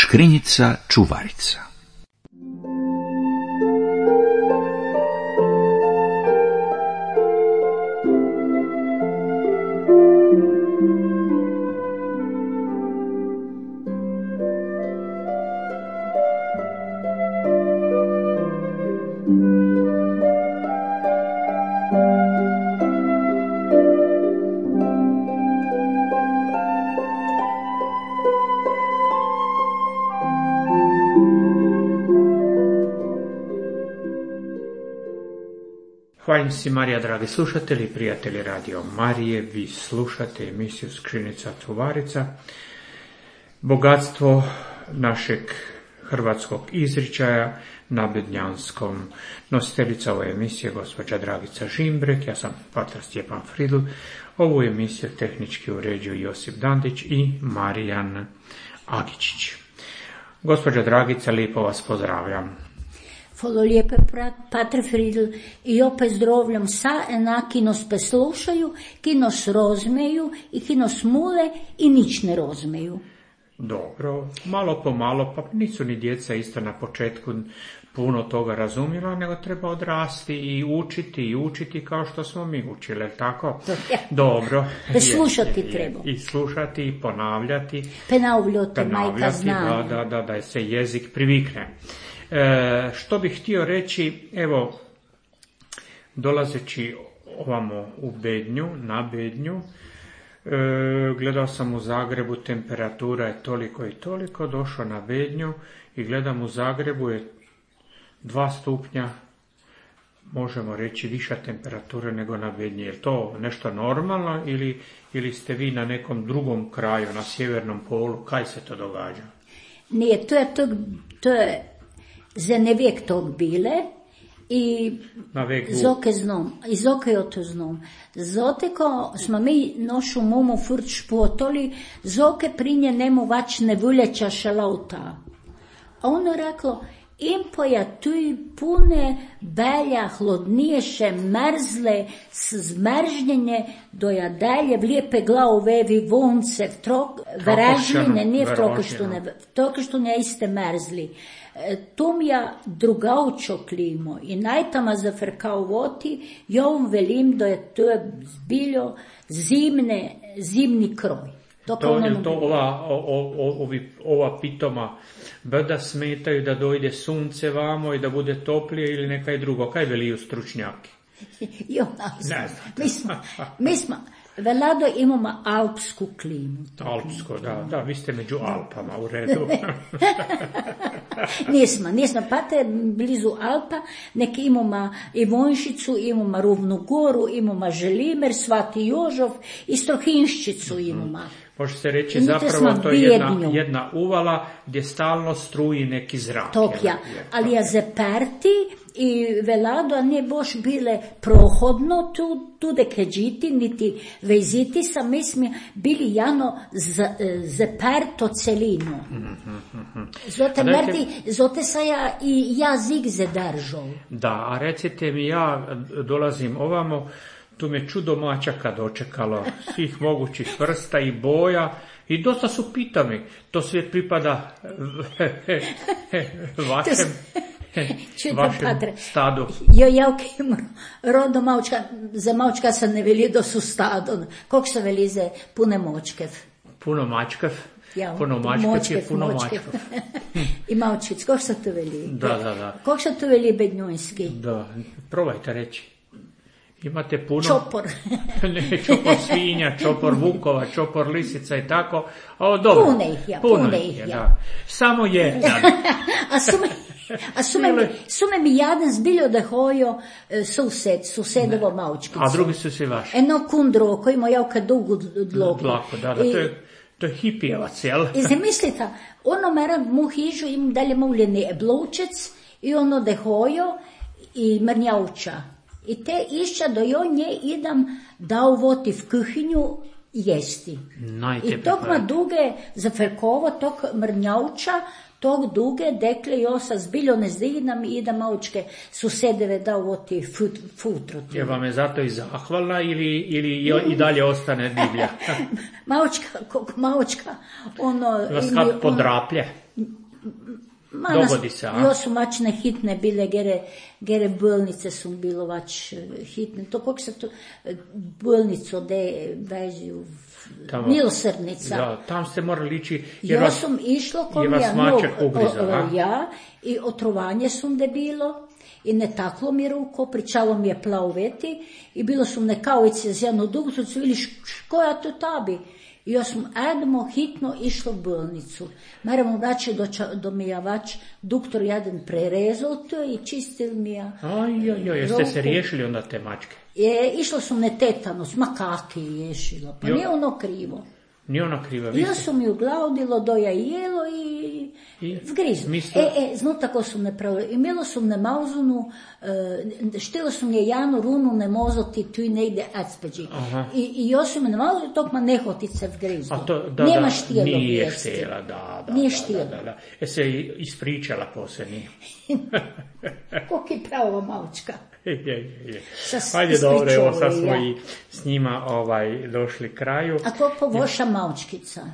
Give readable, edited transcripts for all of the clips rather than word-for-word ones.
Škrinjica čuvarica. Hvala si Marija, dragi slušatelji i prijatelji Radio Marije, vi slušate emisiju Škrinjica čuvarica, bogatstvo našeg hrvatskog izričaja na bednjanskom. Nositeljica ove emisije gospođa Dragica Žimbrek, ja sam patar Stjepan Fridl, ovu emisiju tehnički uređuju Josip Dandić i Marijan Agičić. Gospođa Dragica, lijepo vas pozdravljam. Hvala lijepe, Pater Fridl, i opet zdravljam sa ena, ki nas poslušaju, ki nas rozmeju i ki nas mule i nič ne rozmeju. Dobro, malo po malo, pa nisu ni djeca isto na početku puno toga razumjela, nego treba odrasti i učiti kao što smo mi učili, tako? Dobro. Slušati treba. I slušati i ponavljati. Ponavljati, majka zna. Da se jezik privikne. Što bih htio reći, evo, dolazeći ovamo u Bednju, na Bednju, gledao sam u Zagrebu, temperatura je toliko i toliko, došao na Bednju i gledam u Zagrebu je 2 stupnja, možemo reći, viša temperatura nego na Bednji. Je to nešto normalno ili ste vi na nekom drugom kraju, na sjevernom polu, kaj se to događa? Nije, to je za nevijek tog bile i zoke je to znom. Zote ko smo mi nošu mumu furt špotoli, zoke prinje nemu vač ne vuljeća šalauta. A ono reklo, impoja tu pune belja, hlodniješe, mrzle, zmržnjenje, doja dalje vlijepe glavu vevi vonce, vražline, nije v trokeštune iste mrzli. Tom ja drugaučo klimo i najtama zafrkao voti, ja vam velim da je to zbiljo zimni kroj. Ova pitoma brda smetaju da dojde sunce vamo i da bude toplije ili nekaj drugo? Kaj veliju stručnjaki? Mi smo velado imamo alpsku klimu. Alpsko, da, vi ste među Alpama, u redu. Nismo, pa te blizu Alpa, neki imamo i Vonšicu, imamo Rovnu Goru, imamo Želimer, Svati Jožov i Strohinščicu imamo. Može se reći zapravo to je jedna uvala gdje stalno struji neki zrak. Ali ja zaperti i velado nije boš bile prohodno tu dekeđiti, niti veziti sam, mi smo bili jano zaperto celino. Zote sa ja i jazik zadržao. Da, a recite mi, ja dolazim ovamo, tu me čudo mačaka dočekalo, svih mogućih vrsta i boja i dosta su pitami. To sve pripada vašem stadu. Ja rodo maučka, za maučka se ne veli da su stado. Koliko se veli za pune močkev? Puno mačkev? Puno mačkev je puno mačkev. I maučic, koliko se to veli? Da. Koliko se to veli bednjojski? Da, probajte reći. Imate puno... Čopor. Ne, čopor svinja, čopor vukova, čopor lisica i tako. O, dobro. Puno ih, ja. Da. Samo jedan. A sume mi jadan zbiljo da hojo susedovo maučkicu. A drugi su svi vaši. Eno kundro, koji ima javka dugu dlaku. Da, to je hipijevac, jel? I zamislite, ono mera mu hižu im dalje muljeni eblovčec i ono da hojo i mrnjauča. I te išća do jo nje idam da uvoti v kuhinju jesti. Najteplje I tog pravi. duge za Ferkovo, tog mrnjauča, tog duge dekle i osa zbiljo ne zdignam i da maučke susedeve da ovo ti futro. Je vam je zato i zahvalna ili i dalje ostane divlja? Maučka, ono... Vas kad podraplje? Dogodi se, a? Jo su mačne hitne bile, gere bolnice su bilo vač hitne. To kako se to bolnico de vežu, Milosrdnica. Da, tam ste morali ići. Ja sam išla kom ja i otrovanje sam da bilo i ne taklo mi ruko, pričalo mi je plaveti i bilo sam nekavice z jednu dugu, su vidiš koja to tabi. I ja sam edmo hitno išla u bolnicu. Moramo vraći do mi je vač doktor jedan prerezao to i čistil mi je. Jeste se riješili onda te mačke? Išla sam na tetanus, makaki ješila, pa nije ono krivo. Nije ono krivo, ja sam ju glaudilo, doja jelo i vgrizno. Zno tako sam ne pravila. Imela sam ne mauzunu, štila sam je janu runu ne mozoti tu i negde adspeđi. I ja sam ne mauzunu, tok ma nehotice vgrizno. Nema štijelo nije štijela, da. Nije štijelo. Da. Se ispričala poslije. Koliko je pravo maučka. Ajde, dobro, evo sad smo i s njima došli kraju. A koliko voša maučkica?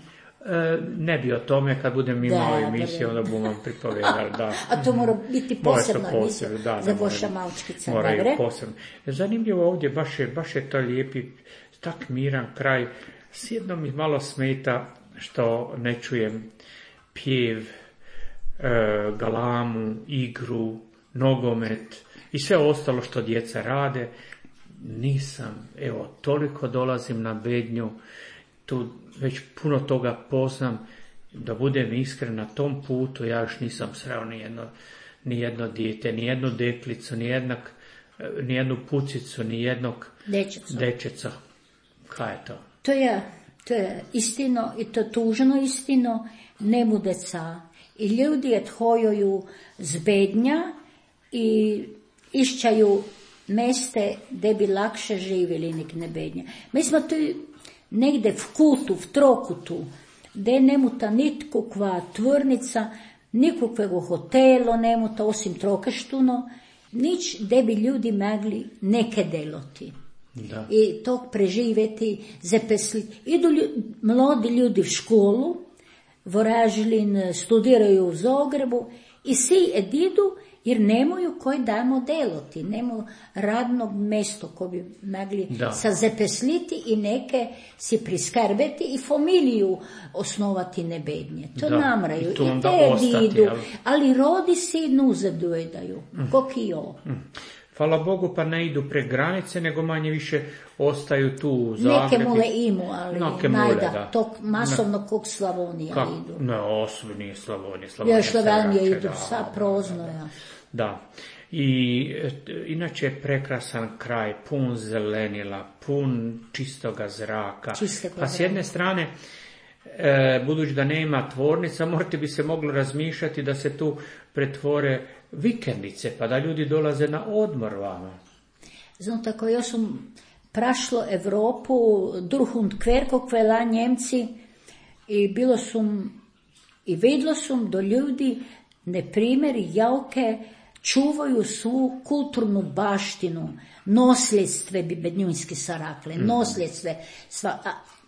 Ne bi o tome, kad budem imao emisiju, onda bom vam pripovedala. Da. A to mora biti posebna emisija za voša maučkica. Moraju posebno. Zanimljivo ovdje, baš je to lijepi, tak miran kraj. Sjedno mi malo smeta što ne čujem pjev, galamu, igru, nogomet i sve ostalo što djeca rade. Nisam, toliko dolazim na Bednju, tu već puno toga poznam, da budem iskren na tom putu, ja još nisam sreo ni jedno dijete, ni jednu deklicu, ni jednu pucicu, ni jednog dečeca. Kaj je to? To je istino i to tužno istino, nemu deca. I ljudi odhojuju z Bednja i išćaju meste gdje bi lakše živjeli nek ne Bednja. Mi smo tu negde v kutu, v trokutu, gdje nemuta nitkukva tvornica, nikukvego hotelo nemuta, osim Trokeštuna, nič gdje bi ljudi mogli neke deloti. Da. I tog preživjeti, zaposliti. Idu mladi ljudi v školu, v Oražlin studiraju u Zagrebu i svi edidu jer nemaju koji dajmo deloti, nemaju radnog mjesto koje bi mogli se zaposliti i neke si priskrbeti i familiju osnovati nebednje. To namraju i te edidu, ali rodi si nuzadojedaju, kok i jo. Hvala Bogu, pa ne idu pre granice, nego manje više ostaju tu u Zagrebi. Neke mule imu, ali najda, tog masovno kog Slavonija idu. Ne, osobi nije Slavonija. Slavonija idu, sa prozno, ja. Da. I inače je prekrasan kraj, pun zelenila, pun čistoga zraka. Pa s jedne strane, budući da nema tvornica, morate bi se moglo razmišljati da se tu pretvore vikendice, pa da ljudi dolaze na odmor vama. Znam tako, ja sam prašlo Evropu, druhund kverko kvela Njemci i bilo sam i vidjelo sam do ljudi, ne primjer, javke čuvaju svu kulturnu baštinu, nosljedstve bi bednjunski sarakle, nosljedstve,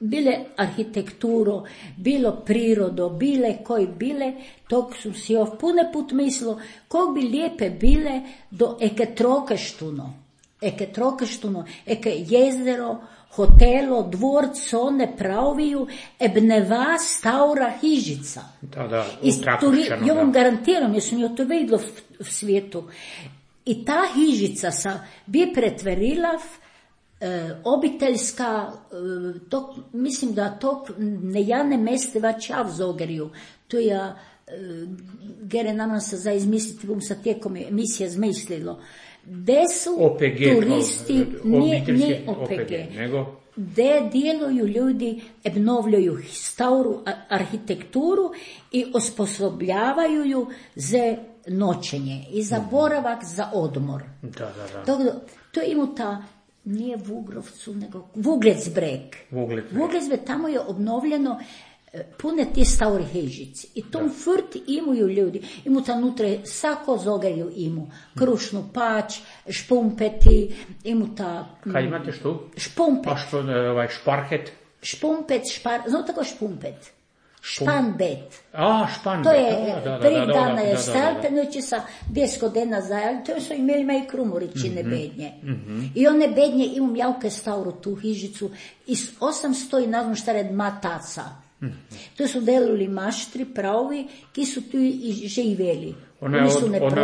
bile arhitekturo, bilo prirodo, bile koji bile, tog su si pune put mislilo, kog bi lijepe bile do eke Trokeštuna, eke jezero, hotelo, dvorc, one praviju, ebneva staura hižica. Da, ja vam garantiram, jer sam jo to vidjela v svijetu. I ta hižica bi pretverila obiteljska, mislim da to nejane meste vaća v Zogerju. To je, gere nam se za izmisliti, bom sa tijekom emisija zmislilo. Gde su OPG, turisti, nije OPG, gde djeluju ljudi, obnovljaju staru arhitектuru i osposobljavaju ju za noćenje i za boravak, za odmor. Da. To ima ta nije Vugrovcu, nego Vuglecbreg. Vuglecbreg, tamo je obnovljeno pune ti stauri hižici. I tom furt imaju ljudi. Imu tam nutre sako zogerju imu. Krušnu pać, špumpeti, imu ta... Kaj imate što? Špumpet. A što, šparhet? Špumpet, znamo tako špumpet? Španbet. Španbet. To je prvi dana je stelpenući sa 10 godina zajali. To su imeli maj krumoričine bednje. I one bednje imam javke stauru tu hižicu. I 800 i nazvam šta red mataca. To su delili maštri pravi, ki su tu i živeli. Ono je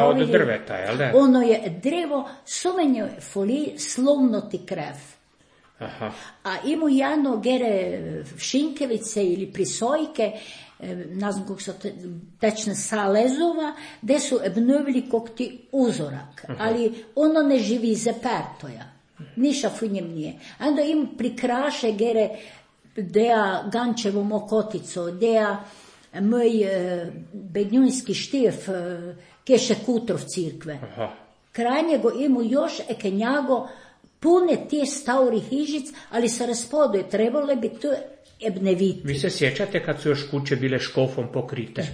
od drveta, jel da? Ono je drevo, sumenjo folije, slovno ti krev. Aha. A imu jedno gere šinkevice ili prisojke, ne znam kako se tečne salezova, gde su obnovili kog ti uzorak. Ali ono ne živi zepertoja. Niša funjem nije. Onda im prikraše gere dea Gančevo mokotico, dea moj bednjunski štif, keše kutrov cirkve. Kraj njego imu još ekenjago pune tih stauri hižic, ali se raspoduje, trebalo bi to ebneviti. Vi se sjećate kad su još kuće bile škofom pokrite?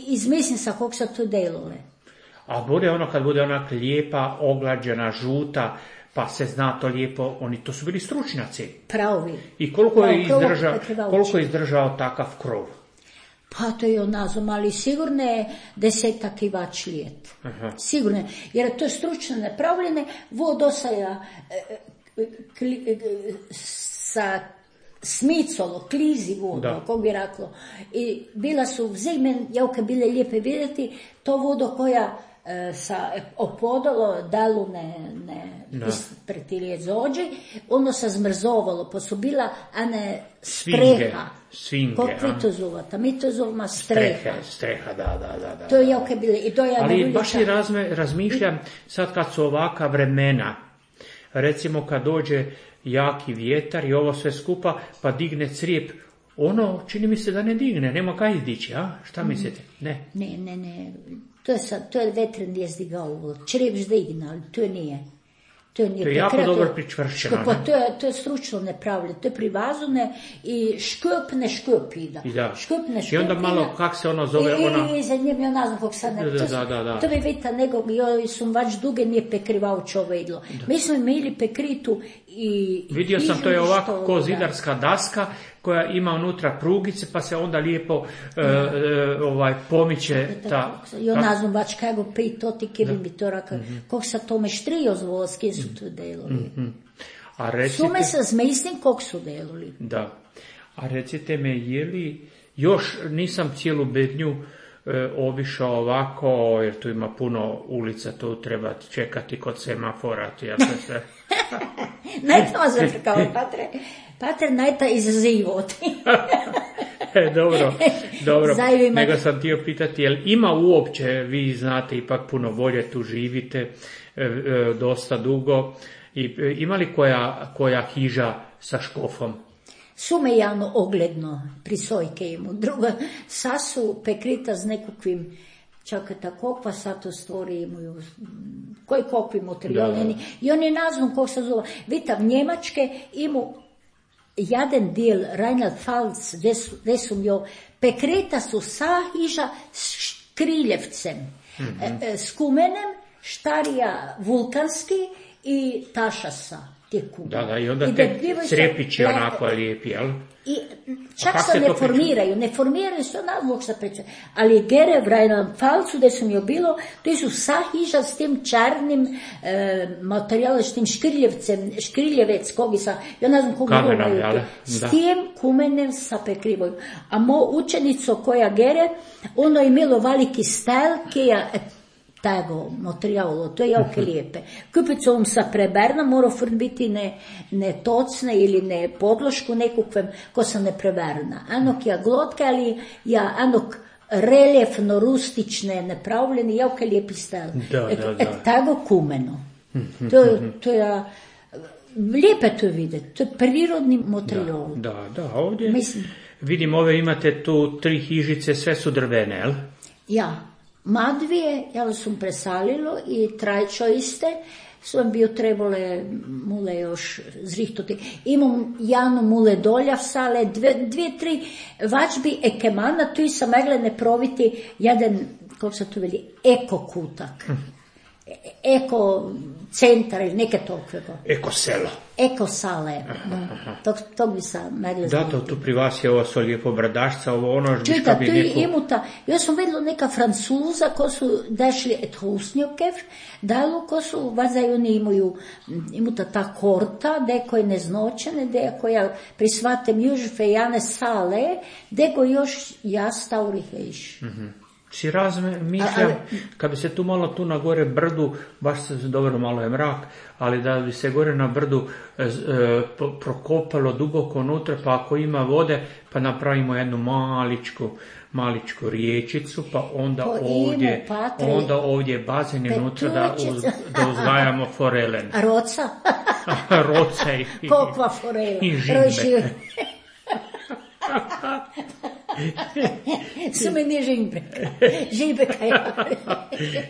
Izmislim sa kog se to delole. A bude ono kad bude onak lijepa, oglađena, žuta, pa se zna to lijepo, to su bili stručnjaci. Pravi. I koliko je izdržao takav krov? Pa to je nazvom, ali sigurno je 10 kivač lijet. Sigurno je, jer to je stručno napravljene, vodosaja sa smicolo, klizi vodo, kako bi reklo. I bila su vzegmen, javke bile lijepe vidjeti, to vodo koja sa opodalo, dalu ne ispretilje zođe, ono se zmrzovalo, pa su bila streha. Svinge. Kako vi to zovata? Mi to zovemo streha. Streha, da. To je javke bile. Ali baš i razmišljam, sad kad su ovaka vremena, recimo kad dođe jaki vjetar i ovo sve skupa, pa digne crijep, čini mi se da ne digne, nema kaj izdići, a? Šta mislite? Ne. Ne. To je vetren je zdigao, črijep ždigna, ali to nije. To je jako dobro pričvršćeno. To je stručno nepravljeno, to je privazune i škup ida. I onda malo, kak se ono zove, I za njim je nazvam kog sad ne. To bi vidite, nego joj sam vač duge nije pekrivao čovedlo. Mi smo imeli pekritu i... Vidio sam, to je ovako ko zidarska daska koja ima unutra prugice, pa se onda lijepo pomiče ta... Jo nazvam vač kako pri to ti kevim bi to raka, kog sa tome štrio zvola, s kje su to delali. Sume se zmislim kog su delali. Da. A recite me, je li, još nisam cijelu bednju obišao ovako, jer tu ima puno ulica, tu treba čekati kod semafora, Najte vas zaprkao, Patre, najta izazivoti. Dobro. Nego sam htio pitati, jel ima uopće, vi znate, ipak puno bolje tu živite, dosta dugo, ima li koja hiža sa škofom? Sume javno ogledno prisojke imu. Druga, sasu pekrita z nekakvim, čakajte, kokva sato stvori imaju, koji kokvi materijali. I oni nazvom kog se zove. Vidite, v Njemačke imu jedan del Rheinland-Pfalz, gdje su jo pekreta su sa hiža s škriljevcem, s kumenem, štarija vulkanski i tašasa. Da, i onda te crepići onako lijepi, jel? I čak se ne formiraju se nadlog sa pričom. Ali gere v Rheinland-Pfalzu, gdje su mi bilo, to su sa hiža s tim čarnim materijalom, s tim škriljevec, kogi sa, ja ne znam koga imaju, s tim kumenem sa prekrivaju. A mo učenico koja gere, ono je imelo veliki stel, kija tego materijalo, to je jako lijepe. Kupicom sa preberna mora biti ne tocne ili ne podlošku nekukvem ko se ne preberna. Anok ja glotka, ali ja anok reljefno, rustične, nepravljeni, jako lijepi stel. Tego kumeno. To je lijepe to vidjeti. To je prirodni materijal. Da, ovdje vidim ove imate tu 3 hižice, sve su drvene, jel? Ja. Madvije, jel sam presalilo i trajčo iste, Sam bio trebale mule još zrihtoti. Imam Janu mule dolja v sale, dvije, tri vačbi ekemana, tu sam megle ne proviti jedan, kako se to veli, eko kutak. Eko centar ili neke tokvego. Eko selo. Eko sale. To bi sam megle znati. Da, to tu pri vas je ovo so lijepo bradašca, ovo ono žbiška bi neko... Imuta, ja sam vidjela neka Francuza ko su dešli et husnjokev, dalo ko su, vazaj oni imaju imuta ta korta, deko je neznočene, deko ja prisvatem južfe jane sale, deko još ja staurihejš. Si razmišljam, kad bi se tu malo tu na gore brdu, baš se dobro malo je mrak, ali da bi se gore na brdu prokopalo duboko unutra, pa ako ima vode, pa napravimo jednu maličku riječicu, pa onda ovdje bazen unutra da uzgajamo forelen. A roca? Roca i kokva forela. I žimbe. Su meni žibeka ja.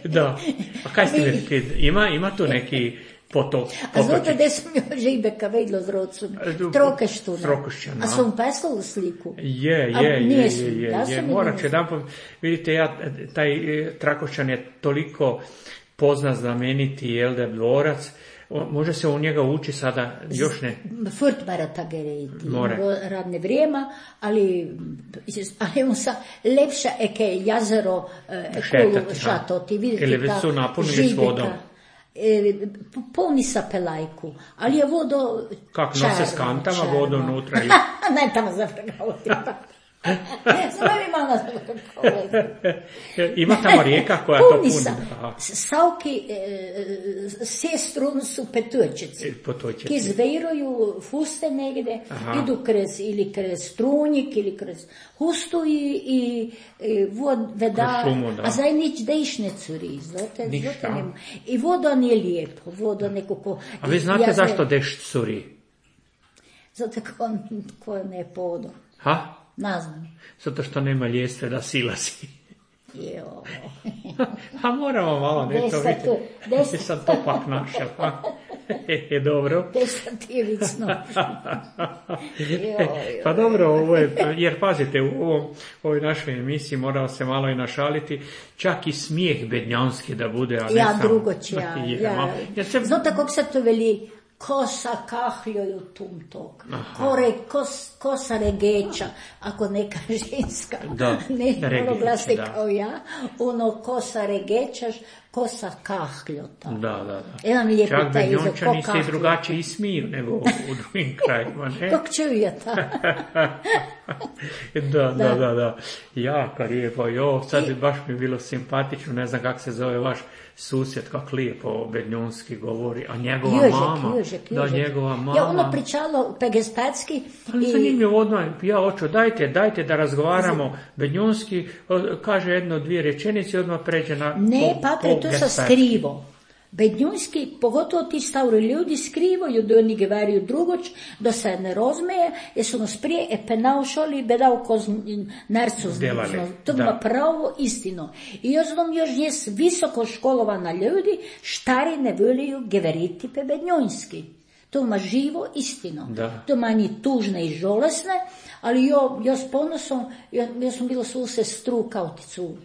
Da, a kaj ste rekli, ima tu neki potok? A znate da sam joj žibeka vedlo z rodcom? Trokeštuna. Trokeštuna. A sam peslala sliku? Je. Morat će jedan, vidite, taj Trakošćan je toliko poznat, znameniti, jelde, dvorac. Može se u njega uči sada, još ne. Furtbara tageriti, radne vrijema, ali on sa lepša eke jazero šatoti, vidite ta žibeka. Polni sa pelajku, ali je vodo kak nose s kantama vodo unutra? Ne, tamo zavrgavati. Ima tamo rijeka koja to puni. Savki sestru su petučici. Ki zvejruju fuste negde, idu krez strunjik ili krez hustu i veda, a zdaj nič dejš ne curi. I voda nije lijepo, voda nekako... A vi znate zašto dešt curi? Zato ko ne podo. Ha? Naznam. Zato što nema ljestve da silazi. Jo. A moramo malo nešto vidjeti. Gdje sam to pak našel? Je dobro. Desativično. Pa dobro, ovo je, jer pazite, u ovoj našoj emisiji morao se malo i našaliti, čak i smijeh bednjanski da bude, a ne ja, sam... drugo će, Znate kako se to veli? Kosa kahljoju tumtok, kosa regeča, ako neka ženska, ne glasi kao ja, kosa regečaš, kosa kahljota. Da. Čak bednjončani se drugačije i smiju nego u drugim krajima, ne? Kako čujete? Da. Jako lijepo. Sad baš mi je bilo simpatično, ne znam kako se zove vaš susjed, kako lijepo bednjonski govori, a njegova mama. Njegova mama. Ja ono pričalo pegespatski. Ali zanimljivo odmah, ja hoću, dajte da razgovaramo bednjonski, kaže jedno, dvije rečenice, odmah pređe na... Ne, Patre, to sa skrivo. Bednjunski, pogotovo ti stavri ljudi skrivaju da oni govaraju drugoč, da se ne rozmeje, jer su nas prije penaušali bedao koz narcu znali. To ima pravo istino. I još znam još visoko školovana ljudi, štari ne voliju govoriti pe bednjunski. To ima živo istino. To ima ni tužne i žolesne, ali ja s ponosom, ja sam bila svu sestru kauticu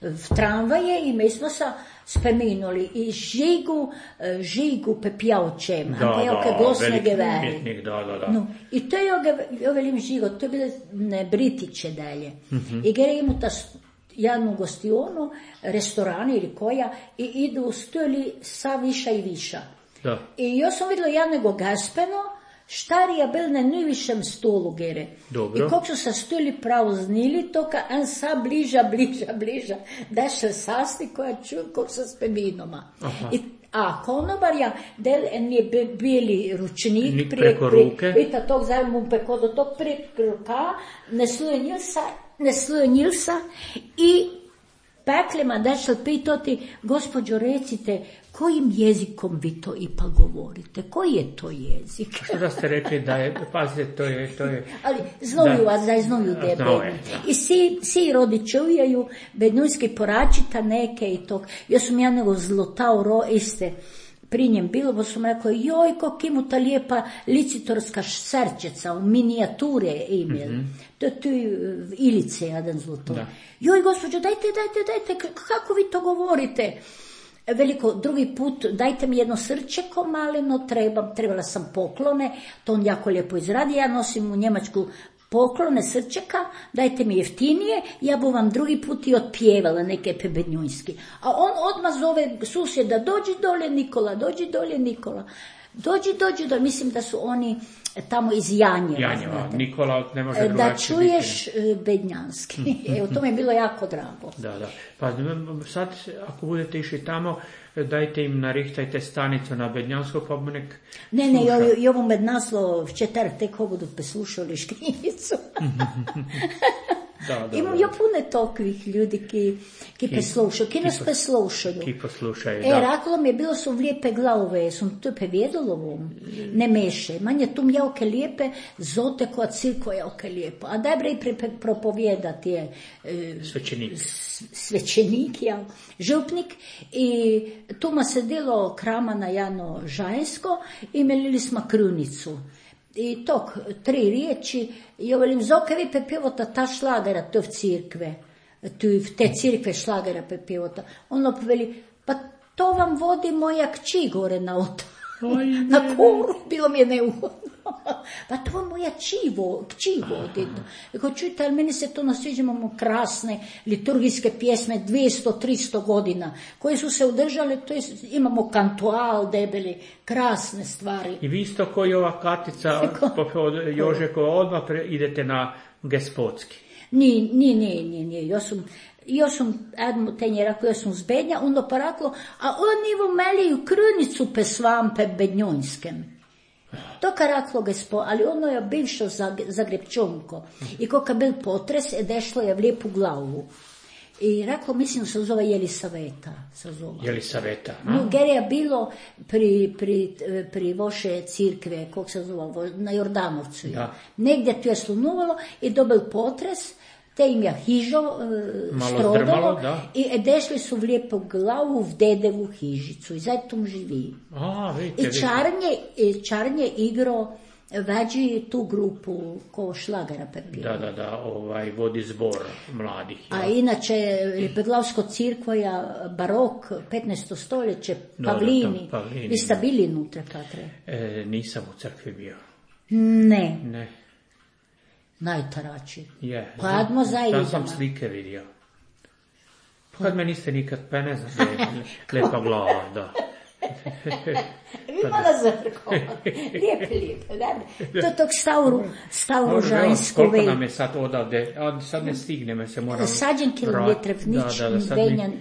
v tramvaje i mi smo se spomenuli i žigu pepjavčem, pejavke glasne geveri. No, i to je velim žigo, to je bile Britiće dalje. I gre imu ta jednu gostionu, restorani ili koja, i idu stojili sa viša i viša. I ja sam vidjela jednego gaspeno, štarija bil na najvišem stolu gere. Dobro. I kako su se stoli praznili, to ka en sa bliža, da še sasti koja čuj, kako se speminoma. A konobarja, del en je bili ručnik preko ruke. Vidite, tog zajmu preko do tog preko ruka, neslonil se i peklima dešel pitati, gospođo recite, kojim jezikom vi to ipak govorite? Koji je to jezik? Što da ste rekli da je, pazite, to je... Ali znoju vas, da je znoju da je bedni. I svi rodi čujaju, bednujski poračita neke i tog. Ja sam jednego zlotao iste pri njem bilo, bo sam rekao, joj, kak imu ta lijepa licitorska srčeca, u minijature imel. To je tu Ilice, jedan zloto. Joj, gospođo, dajte, kako vi to govorite? Veliko, drugi put, dajte mi jedno srčeko maleno, trebala sam poklone, to on jako lijepo izradi, ja nosim u Njemačku poklone srčeka, dajte mi jeftinije, ja bu vam drugi put i otpjevala neke pebenjunjski. A on odmah zove susjeda, dođi dolje Nikola, dođi, mislim da su oni tamo iz Janjeva. Nikola ne može drugačije da čuješ bednjanski. Evo, to mi je bilo jako drago. Da. Pa sad, ako budete išli tamo, dajte im narihtajte stanicu na bednjansko, pa mu nek Ne, i ovo med naslo v četrtek budu poslušali škrinjicu. Imam jo puno takvih ljudi, ki poslušaju, ki nas poslušaju. Ki poslušaju, da. Raklo mi je bilo su lijepe glave, sam to povedalo vam, ne meše. Manje tu mjavke lijepe, zote koja cirko javke lijepo. A dajbre i propovijedati je svećenik, župnik. I tu ma se delo krama na Jano Žajsko i melili smo krunicu. I tok, 3 riječi, i velim, zoke vi pepivota ta šlagera, to v cirkve, v te cirkve šlagera pepivota. Ono veli, pa to vam vodi moja kći gore na na koru, bilo mi je neugodno. Pa to moja kći vodi. Ako čujte, ali meni se to nasviđa, imamo krasne liturgijske pjesme 200-300 godina, koje su se udržale, to je, imamo kantual debeli, krasne stvari. I vi isto koji ova Katica od Jožekova odmah idete na Gospodski. Nije. Ja sam, Edmu tenje rekao, ja sam z Bednja, onda pa rekao, a oni vam meliju krunicu pe svampe bednjonskem. To ka reklo Gospod, ali ono je bivšo Zagrebčonko. I koliko je bil potres, je dešlo je v lijepu glavu. I reklo, mislim, se zove Jelisaveta. Jelisaveta. No, ger je bilo pri vaše cirkve, kako se zove, na Jordanovcu. Negdje tu je slunuvalo i dobil potres, te im je hižo strodalo i dešli su v lijepu glavu v dedevu hižicu i zato tam živi. I Čarnje igro veđi tu grupu ko šlagera pepira. Da, vodi zbor mladih. A inače, Beglavsko cirkvoja, barok, 15. stoljeće, Pavlini. Vi ste bili unutra, Katre? Nisam u crkvi bio. Ne. Najtarači. Padmo zajedno. Da sam slike vidio. Kad me niste nikad, pa ne znam, lepa glava, da. Vidimo na zrko. Lijepe. To je tog stavru žanjsko. Koliko nam je sad odavde, sad ne stigneme se moram... Sađen kilometre vnič,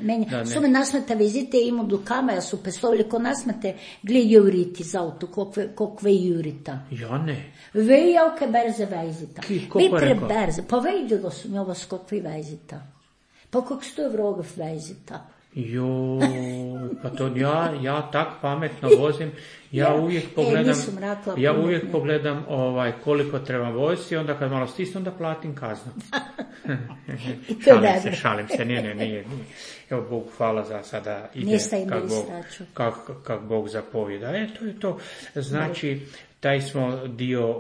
menja. Su me nasmete vizite, imu do kameja su peslovili, ko nasmete, gle juriti za auto, kokve jurita. Ja ne. Vej javke berze vejzita. Koliko je rekao? Berze, pa vejdilo su mi ovo skokve vejzita. Pa kak 100 vrogov vejzita. Pa to ja tak pametno vozim, ja uvijek pogledam koliko treba voziti, onda kad malo stisnu, onda platim kaznu. Šalim se, nije. Evo, Bog hvala za sada ide kak Bog zapovjeda. To je to. Znači, taj smo dio,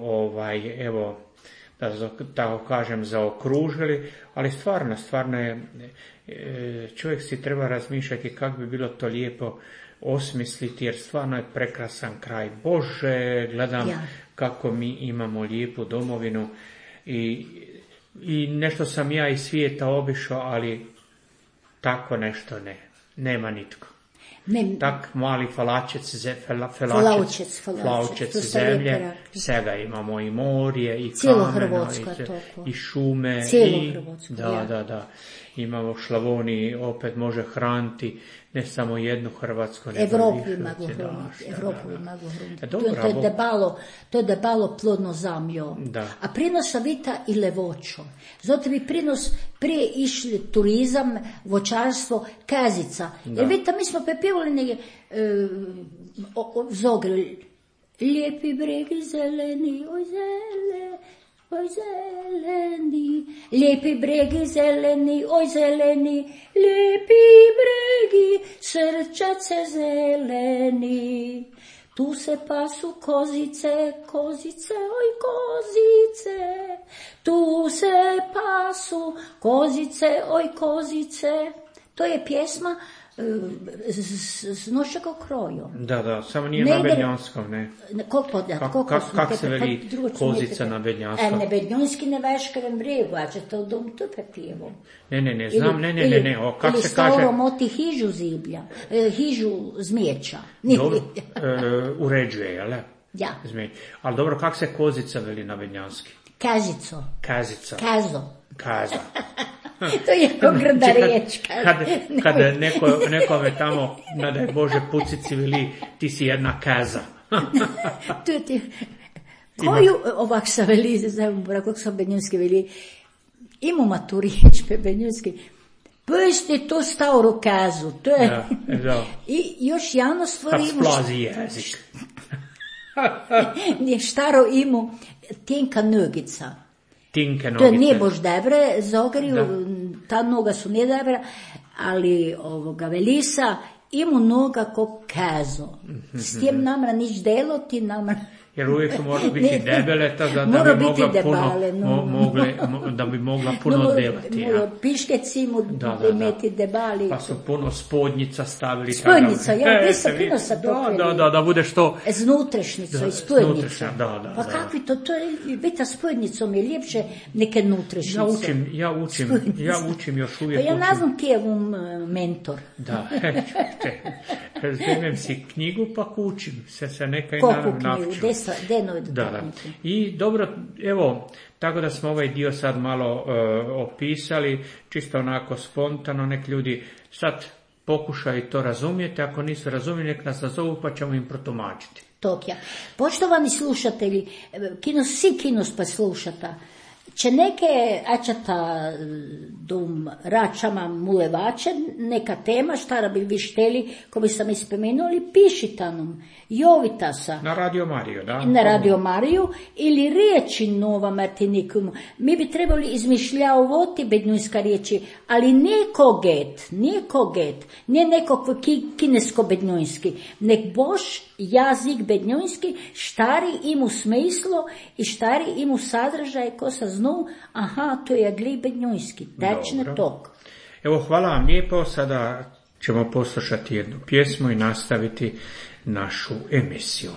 evo, da tako kažem, zaokružili, ali stvarno je, čovjek si treba razmišljati kako bi bilo to lijepo osmisliti, jer stvarno je prekrasan kraj. Bože, gledam kako mi imamo lijepu domovinu i nešto sam ja iz svijeta obišao, ali tako nešto nema nitko. Tak mali falaučec zemlje, svega imamo i morje, i kameno, i šume, da. Imamo Šlavoniji, opet može hraniti ne samo jednu Hrvatsku, nego Evropu mogu hraniti. To je debalo plodno zamljo. A prinosa vita i levočo. Zato bi prinos prije išli turizam, voćarstvo, kazica. Jer vidite, mi smo pepivali negdje zogre. Lijepi bregi zeleni, oj zele. oj zeleni, lijepi bregi zeleni, oj zeleni, lijepi bregi, srčace zeleni. Tu se pasu kozice, kozice, oj kozice, tu se pasu kozice, oj kozice. To je pjesma s nošega krojom. Da, samo nije na bednjanskom, ne. Kako se veli kozica na bednjanskom? Ne, bednjanski ne veškerem bregu, a će to dom tupe pijevom. Ne, znam, ne. Kako se kaže? Ili stalo moti hižu ziblja, hižu zmijeća. Dobro, uređuje, jel? Ja. Ali dobro, kako se kozica veli na bednjanski? Kazico. Kazo. To je jako grda riječ. Kad nekome tamo, nadaj Bože, pucici veli, ti si jedna kaza. Koju ovak sa veli, kako sam bednjanski veli, imamo tu riječ pe bednjanski, pusti tu staru kazu. To je, da. I još javno stvori imu... Kad splazi jezik. Nije štaro imu tinka nogica. To nije bož debre, Zogariju, ta noga su nije debre, ali velisa imu noga ko kazo. S tim namra nič delo, ti namra... Jer uvijek mora biti debele, da bi mogla puno delati. Piškeci mu imeti debali. Pa su puno spodnjica stavili. Spodnjica, gdje se puno sa pokrili. Da bude što... Znutrašnica i spodnjica. Da. Pa kakvi to je, biti spodnjicom je ljepše neke nutrašnice. Ja učim još uvijek. Pa ja ne znam kje je mentor. Da, razumem si knjigu pa učim se nekaj navču. Da. I dobro, evo, tako da smo ovaj dio sad malo opisali, čisto onako spontano, nek ljudi sad pokušaju to razumjeti, ako nisu razumjeli, nek nas nazovu pa ćemo im protumačiti. Tokja. Poštovani slušatelji, svi kinos pa slušata, če neke ačata dom račama mulevače, neka tema, štara bi vi šteli, ko bi sam ispomenuli, pišita nam, jovita sa. Na Radio Mariju, da? Na Radio Mariju, ili riječi nova Martinikum. Mi bi trebali izmišljavati bednjunska riječi, ali nije koget, nije neko kinesko-bednjunski, nek boš jazik bednjunski, štari imu smislo i štari imu sadržaj ko sa znu, aha, to je gli bednjunski, tečne tok. Evo, hvala vam lijepo, sada ćemo poslušati jednu pjesmu i nastaviti našu emisiju.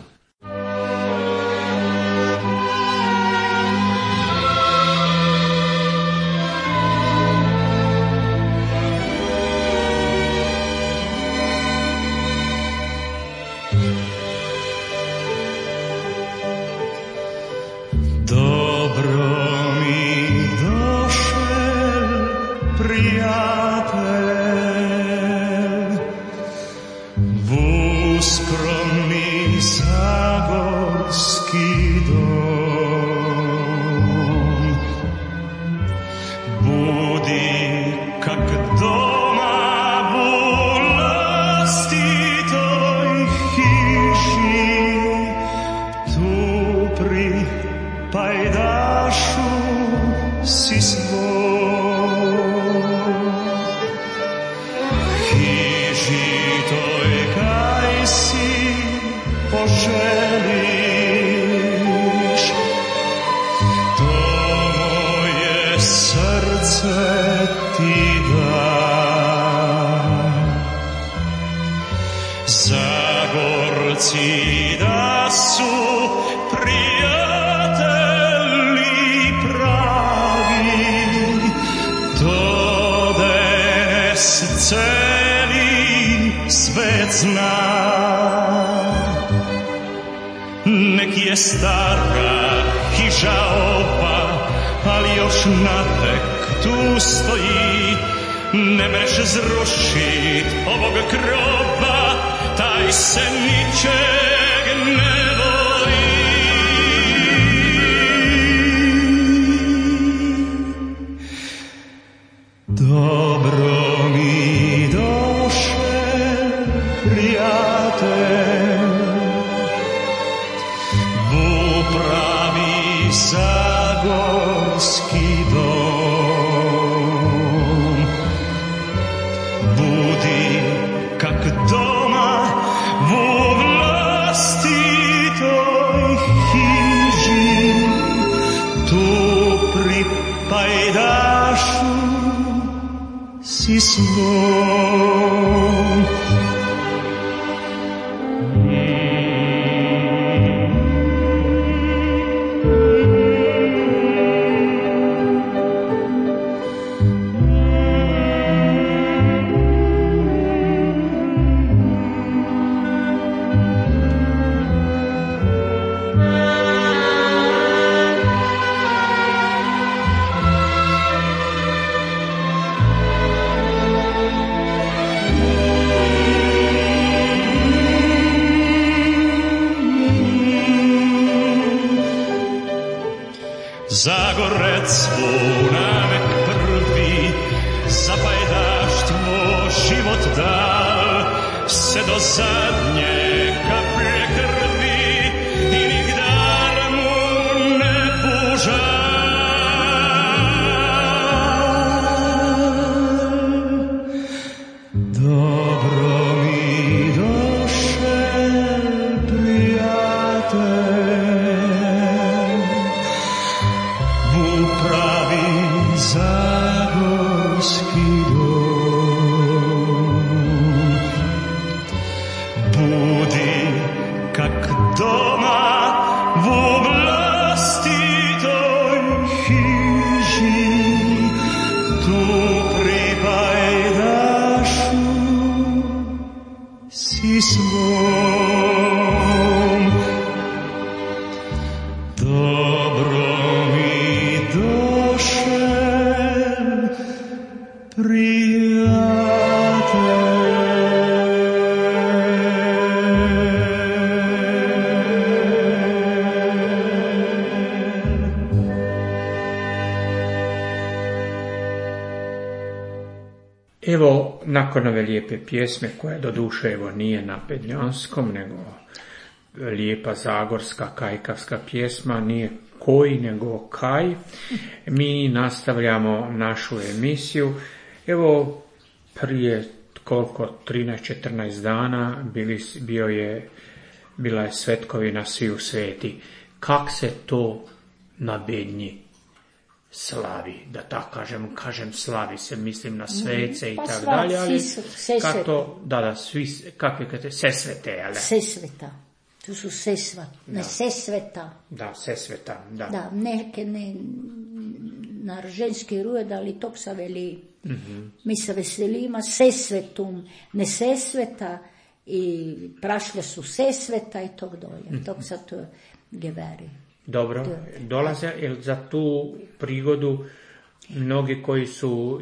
Nek je stara hiža ova, ali još napek tu stoji. Ne mreš zrušit ovog groba, taj se ničeg ne boji. Dobro mi doše, prijatelj, pravi Zagor. budi kak doma u vlastitoj hiži, tu pri pajdašu si svom. Zagorec svoj navek prvi, za pajdaštvo život dal, se do zadnje kaplje krvi i nigdar mu ne pužal. Dobro mi došel, prijatelj, pravi zagorski dom. Budi kak doma u vlastitoj hiži, tu pri pajdašu si svom. Dobro Evo, nakon ove lijepe pjesme, koja doduše evo nije na bednjanskom, nego lijepa zagorska kajkavska pjesma, nije koji nego kaj, mi nastavljamo našu emisiju. Evo, prije koliko, 13-14 dana bila je svetkovina Sviju sveti. Kak se to na Bednji slavi, da tako kažem slavi se, mislim na svece i tako dalje, ali kako to, sesvete, ali? Sesveta, tu su sesva, ne sesveta. Da, sesveta, da. Da, neke na ženski rod, ali to se veli, mi se veselimo sesvetum, ne sesveta, i prašle su sesveta i tog dolje, tog se to geveri. Dobro, dolaze za tu prigodu mnogi koji su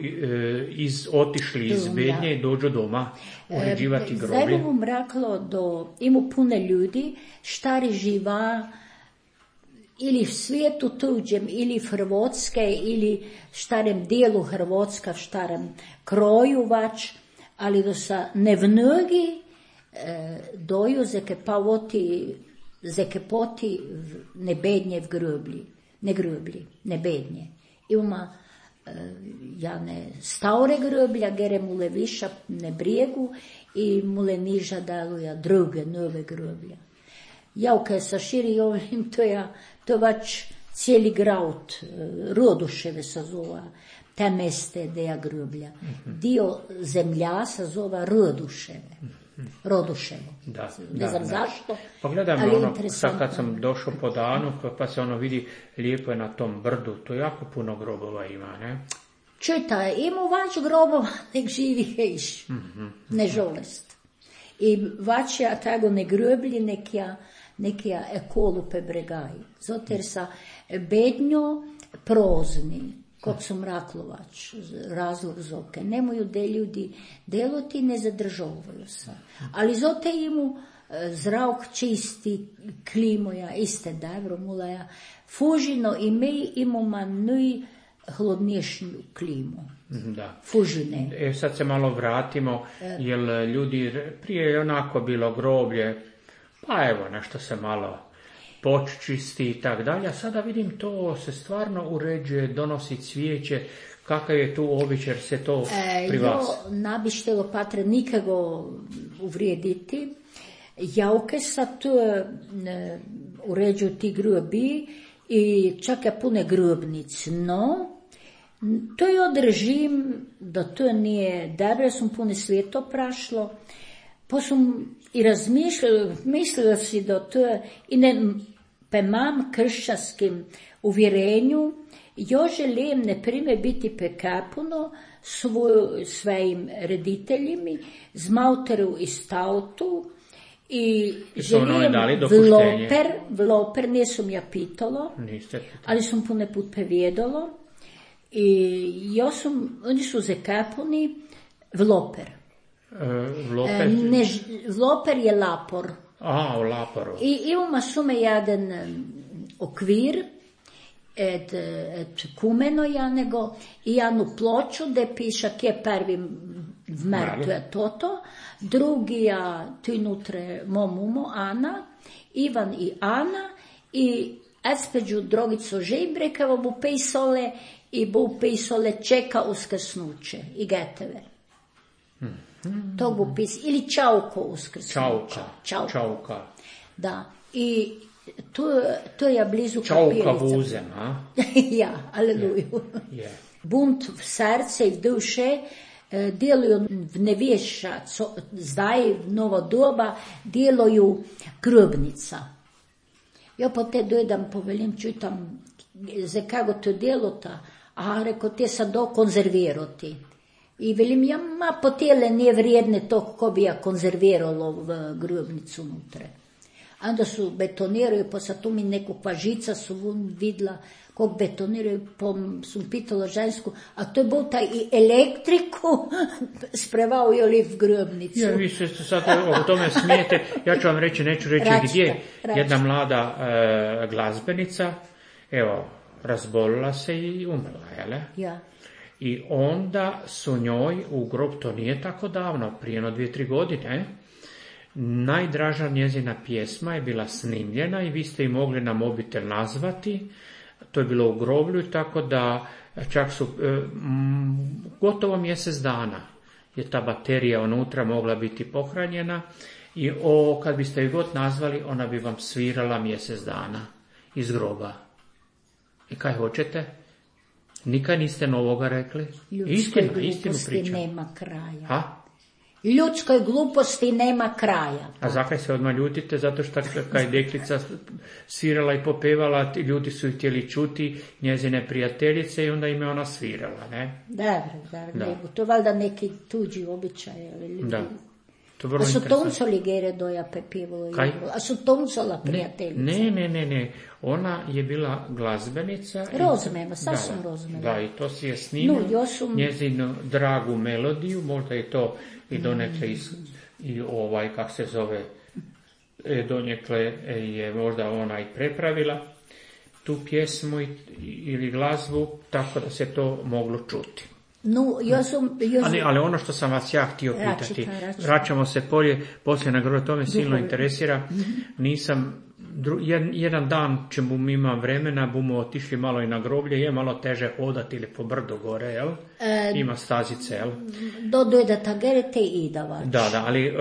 otišli iz Bednje i dođu doma uređivati groblje. Zdaj bom rekla, da ima puno ljudi, štari živa ili v svijetu tuđem, ili v Hrvatske, ili štarem dijelu Hrvatska, štarem kroju vač, ali da se ne mnogi doju zekepoti ne Bednje v groblji, ne Bednje. Ima jane stavre groblja, gere mule viša ne brijegu i mule niža daluja druge, nove groblja. Javka sa širi ovim, to vač cijeli graut, Roduševe se zova, te meste deja groblja. Dio zemlja se zova Roduševo. Ne znam zašto, pogledam ali ono, interesantno. sad kad sam došao po danu, pa se ono vidi, lijepo je na tom brdu, to jako puno grobova ima, ne? Čujte, ima vač grobova, nek živi hejš, ne žolest. I vač ja tako ne groblji, nek ja ekolu pebregaj. Zato jer sa Bednjo prozni, kot sam raklovač, razlog zoke. Nemaju de ljudi deloti, ne zadržovaju se. Ali zote imu zrak čisti, klimoja, iste dobro mulaja. Fužino i mi imamo najhlodnijšnju klimu. Da. Fužine. Sad se malo vratimo, jer ljudi, prije je onako bilo groblje, pa evo, nešto se malo poččisti i tak dalje, a sada vidim to se stvarno uređuje, donosi cvijeće, Kakav je tu običaj, se to pri vas? Jo ne bi štelo patre nikogo uvrijediti. Javke sa tu uređuju ti grobi i čak je pune grobnic, no to je odrežim da to nije dobro, sam puno svijeto prašlo, pa sam i mislila si da to je, i ne mam kršćanskim uvjerenju, jo želim, ne primjer, biti pekapuno svojim rediteljima, z Mauteru i Stautu, i želim vloper, nisam ja pitalo, ali sam puno put previjedalo, i oni su zekapuni vloper. Vloper je lapor. A, u laporu. I imamo sume jedan okvir, et kumeno janego, i jednu ploču, gdje piše kje prvi vmertu je toto, drugi tu inutre momumo, Ana, Ivan i Ana, i espeđu drogico žejbrekavo bu pejsole, i bu pejsole čeka uskrsnuće, i geteve. To bu pis, ili čauko uskrsnuće. Čauka. Da, i to je blizu kapelica. Čauka vuzem, a? Ja, aleluju. Yeah. Bunt v srce i v duše djeluju v nevješa, zdaj v novo doba djeluju grobnica. Ja po te dojdam, povelim, čutam, za kako to djelota, a reko, te sad do konzervirati. I velim, ja ma po tele nije vrijedne to kako bi ja konzerviralo v grobnicu unutre. A onda su betoniraju, pa sad tu mi neku pažica su vidla kog betoniraju, pa sam pitala žensku, a to je bolta i elektriku sprevao je li v grobnicu. Ja, vi se sad o tome smijete, ja ću vam reći, neću reći gdje. Jedna mlada glazbenica, evo, razbolila se i umrla, jele? Ja. I onda su njoj u grob, to nije tako davno, prije 2-3 godine, najdraža njezina pjesma je bila snimljena i vi ste ju mogli na mobitel nazvati. To je bilo u groblju, tako da čak su gotovo mjesec dana je ta baterija unutra mogla biti pohranjena i kad biste ju god nazvali, ona bi vam svirala mjesec dana iz groba. I kaj hoćete? Nikad niste novoga rekli? Istinu pričam. Nema kraja. Ha? Ljudskoj gluposti nema kraja. A zakaj se odmah ljutite? Zato što kad je deklica svirala i popevala, ljudi su htjeli čuti njezine prijateljice i onda im je ona svirala, ne? Dobro. To je valjda neki tuđi običaj. Da. A su toncoli gere doja pepivalo? A su toncola prijateljica? Ne. Ona je bila glazbenica. Rozumemo, sasvim rozumemo. Da, i to si je snimio. Njezinu dragu melodiju, možda je to i donekle i kak se zove, donekle je možda ona i prepravila tu pjesmu ili glazbu, tako da se to moglo čuti. Ali ono što sam vas ja htio pitati, vraćamo se poslije na grob, to me silno interesira, nisam, jedan dan čemu imam vremena, bumo otišli malo i na groblje, je malo teže hodati ili po brdu gore, jel? Ima stazice, jel? Dojde tagerete i idavač. Da, ali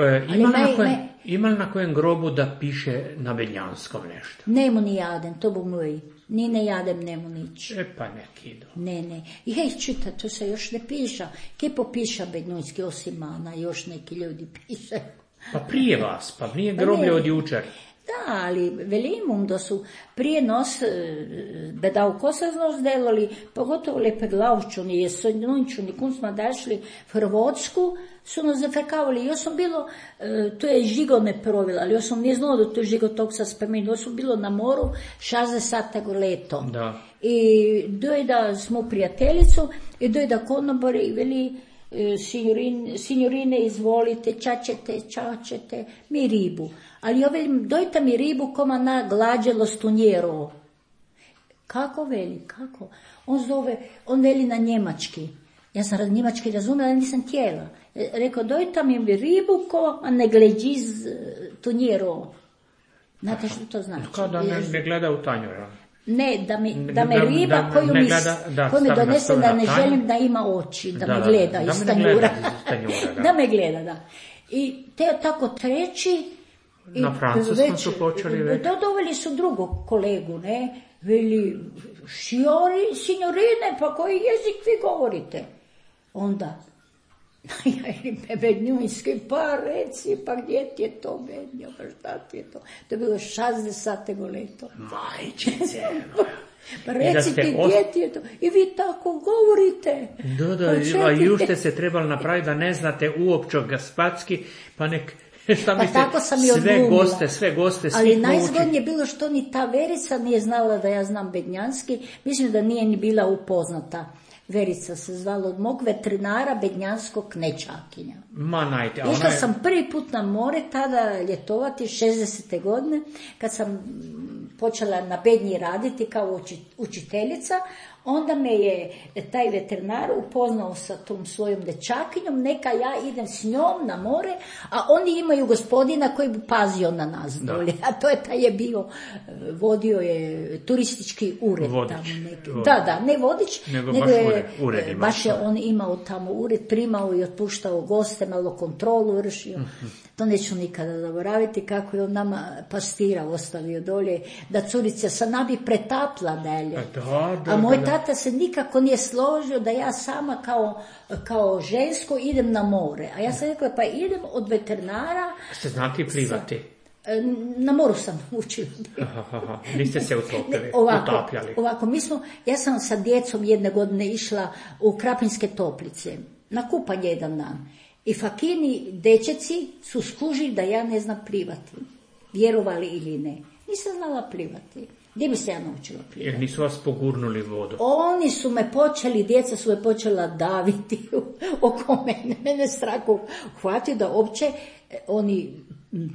ima li na kojem grobu da piše na beljanskom nešto? Nemo ni jaden, to bu moj. Ni ne jadem, nemo nič. Pa neki idu. Ne. I hej, čita, to se još ne piša. Kje popiša bednojski osim Ana, još neki ljudi piše. Pa prije vas, pa nije groblje od jučer. Da, ali velimum da su prije nos bedao kosaznost delali, pogotovo lepe glavčuni, jesonjunčuni, kum smo dašli v Hrvatsku, su nas zafrkavali. Ja sam bilo, to je žigo me provila, ali ja sam nije znala da to je žigo tog sa spomenu. Ja sam bilo na moru 60 leto. Da. I dojda smo prijateljicu i dojda konobori i veli, signorine, izvolite, čačete, mi ribu. Ali ja velim, dojte mi ribu koma na glađelo stunjero. Kako veli, kako? On veli na njemački. Ja sam njemački razumela, nisam htjela. Rekao, dojte mi ribu koma ne gleđiz tunjero. Znate što to znači? Kao da ne gleda u tanjura. Ne, da me riba koju mi donese da ne želim da ima oči, da me gleda iz tanjura. Da me gleda, da. I te tako treći. Na francuskom su počeli već. Doveli su drugog kolegu, ne? Veli, signorine, pa koji jezik vi govorite? Onda, ja im bednjunski, pa reci, pa gdje ti je to bednjo, pa šta ti je to? To je bilo 60 leto. Majčice. Pa reci ti gdje ti je to? I vi tako govorite. Da, ju ste se trebali napraviti da ne znate uopće gaspatski, pa nek... Pa tako sam i odglumila. Sve goste. Ali najzgodnije je bilo što ni ta Verica nije znala da ja znam bednjanski. Mislim da nije ni bila upoznata. Verica se zvala od mog veterinara bednjanskog Nečakinja. Išla sam prvi put na more tada ljetovati 60. godine kad sam počela na bednji raditi kao učiteljica. Onda me je taj veterinar upoznao sa tom svojom dečakinjom, neka ja idem s njom na more, a oni imaju gospodina koji bi pazio na nas dolje. A to je taj je bio, vodio je turistički ured. Vodič. Tamo da, ne vodič, nego je, ured baš je on imao tamo ured, primao i otpuštao goste, malo kontrolu vršio. To neću nikada zaboraviti kako je on nama pastira ostavio dolje, da curice sa nabi pretapla dalje. A moj tata se nikako nije složio da ja sama kao žensko idem na more. A ja sam rekla, pa idem od veterinara. Ste znati plivati? Na moru sam učila. Niste se utopili, utapljali. Ovako, ja sam sa djecom jedne godine išla u Krapinske Toplice na kupanje jedan dan. I fakini dečeci su skužili da ja ne znam plivati. Vjerovali ili ne. Nisam znala plivati. Gdje bi se ja naučila plivati? Jer nisu vas pogurnuli vodu? Oni su me djeca su me počela daviti oko mene. Mene strahu hvati da uopće oni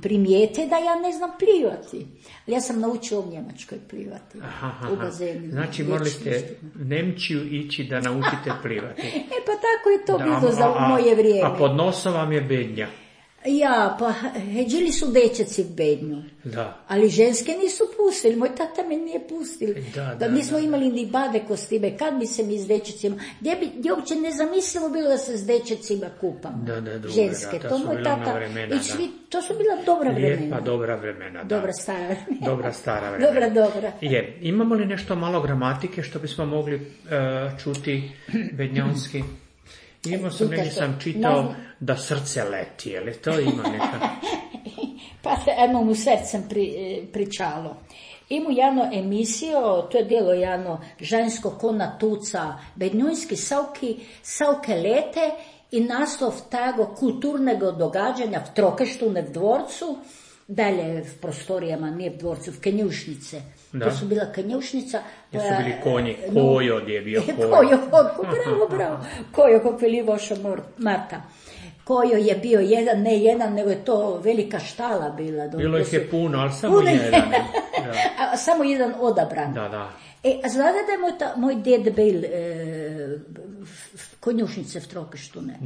primijete da ja ne znam plivati. Ali ja sam naučila u Njemačkoj plivati. U bazenu. Znači morali ste Nemčiju ići da naučite plivati. Pa tako je to bilo za moje vrijeme. A pod nosom vam je bednja. Ja, pa heđili su dečeci bednju. Da. Ali ženske nisu pustili, moj tata me nije pustili. Da nismo imali ni bade kostime, kad bi se mi s dečecima, gdje uopće nezamislivo bilo da se s dečecima kupam. Ženske, to moj tata, to su bila dobra vremena. Lijepa, dobra vremena, da. Dobra stara vremena. Dobra stara vremena. Dobra. Imamo li nešto malo gramatike što bismo mogli čuti bednjanski? Imao sam, negdje sam čitao da srce leti, je li to ima neka? Pa eno mu srcem pričalo. Ima jedno emisijo, to je delo jedno žensko kona tuca, bednjunski savke lete i naslov tego kulturnego događanja v Trokeštune v dvorcu, dalje v prostorijama, nije v dvorcu, v Kenjušnice. Da. To su bila Kenjušnica. To su bili konji, Kojo gdje je bio Kojo. Bravo. Kojo, kako veli vaša Marta. Kojo je bio jedan, ne jedan, nego je to velika štala bila. Bilo ih je puno, ali samo jedan. A samo jedan odabran. Da. A znate da je moj ded bil konjušnice v Trokeštune.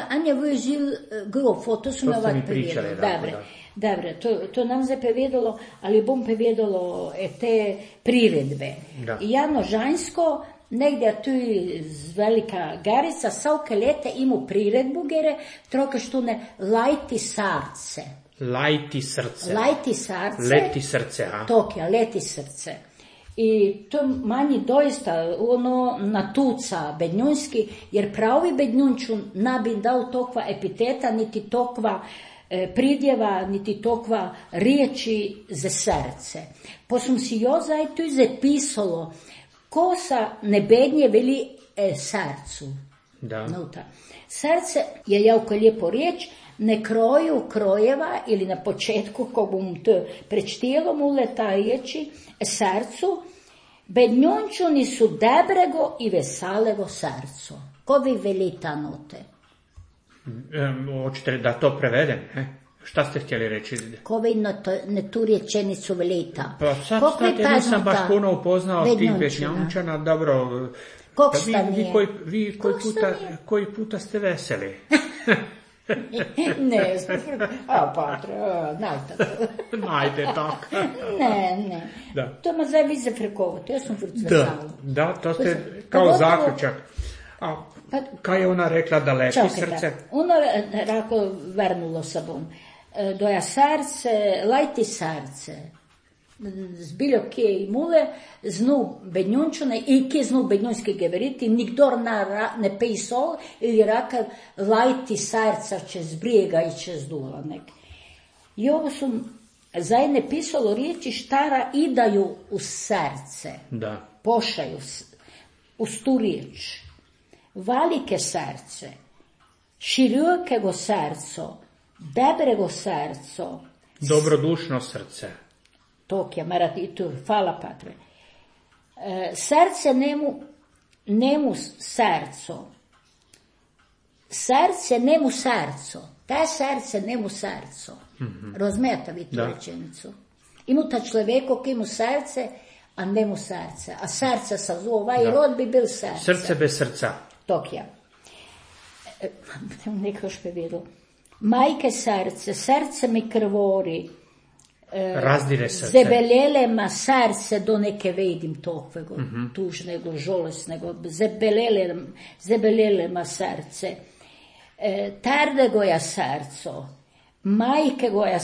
Anja vozil grof, to su mi ovak povedali. Dobre, to nam zdaj povedalo, ali bom povedalo te priredbe. Jano Žanjsko, negdje tu z Velika Garica, savke lete imu priredbu gere, Trokeštune Lajti sarce. Lajti srce. Leti srce, a? Tokija, leti srce. I to manji doista natuca bednjunski, jer pravi bednjunčun nabi dao tokva epiteta, niti tokva pridjeva, niti tokva riječi za srce. Pa sam si jozaj tu zapisalo, ko sa nebednje veli srcu. Da. Srce je jako lijepo riječ, ne kroju krojeva ili na početku, ko bom to prečtijelo mu leta riječi, srcu, bednjunčuni su dobrego i vesalego srcu. Ko vi veli ta note? Hoćete da to prevedem? Šta ste htjeli reći? Ko vi ne tu rječenicu velita? Pa sad nisam baš puno upoznao tih bednjančana, dobro. Kog sta nije? Vi koji puta ste veseli. Ne, patre, najte. Najde tako. Ne. Da. To ma zdaj vize frekovati, jaz sem vrcvetala. Da, to ste kao zaključak. A kaj je ona rekla da lepi srce? Ona rekla, vrnulo se bom. Doja srce, lajti srce. Zbiljo kje imule, znu bednjunčune i kje znu bednjunski geveriti, nikdor ne pisal ili raka lajti srca čez brijega i čez dula nek. I ovo su zajedne pisalo riječi štara idaju u srce. Da. Pošaju u tu riječ. Valike srce, širokego srco, dobrego srco. Dobrodušno srce. Tokja, marati i tu, hvala patre. Srce nemu srco. Srce nemu srco. Te srce nemu srco. Rozumijete vi tu rečenicu? Imu ta človeko ki mu srce, a nemu srce. A srce sa zova i rod bi bil srce. Srce bez srca. Tokja. Neko špevedlo. Majke srce mi krvori. Razdire srce. Zebelelema srce do neke vidim tokvego, tužnego, žolesnego, zebelelema srce. Tardegoja srco, majkegoja